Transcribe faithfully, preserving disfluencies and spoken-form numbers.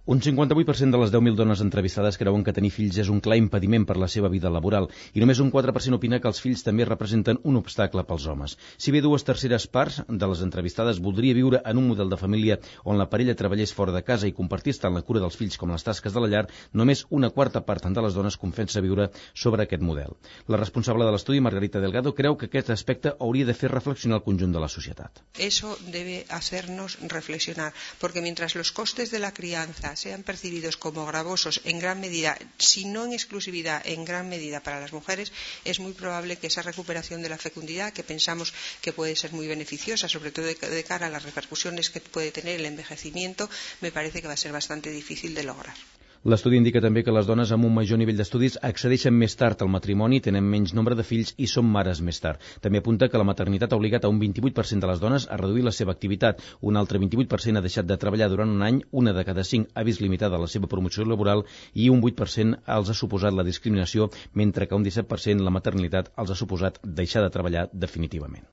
Un cinquanta-vuit per cent de les deu mil dones entrevistades creuen que tenir fills és un clar impediment per la seva vida laboral i només un quatre per cent opina que els fills també representen un obstacle pels homes. Si bé dues terceres parts de les entrevistades voldria viure en un model de família on la parella treballés fora de casa i compartís tant la cura dels fills com les tasques de la llar, només una quarta part de les dones confessa viure sobre aquest model. La responsable de l'estudi, Margarita Delgado, creu que aquest aspecte hauria de fer reflexionar el conjunt de la societat. Eso debe hacernos reflexionar, porque mientras los costes de la crianza sean percibidos como gravosos en gran medida, si no en exclusividad, en gran medida para las mujeres, es muy probable que esa recuperación de la fecundidad, que pensamos que puede ser muy beneficiosa, sobre todo de, de cara a las repercusiones que puede tener el envejecimiento, me parece que va a ser bastante difícil de lograr. L'estudi indica també que les dones amb un major nivell d'estudis accedeixen més tard al matrimoni, tenen menys nombre de fills i són mares més tard. També apunta que la maternitat ha obligat a un vint-i-vuit per cent de les dones a reduir la seva activitat. Un altre vint-i-vuit per cent ha deixat de treballar durant un any, una de cada cinc ha vist limitada la seva promoció laboral i un vuit per cent els ha suposat la discriminació, mentre que un disset per cent la maternitat els ha suposat deixar de treballar definitivament.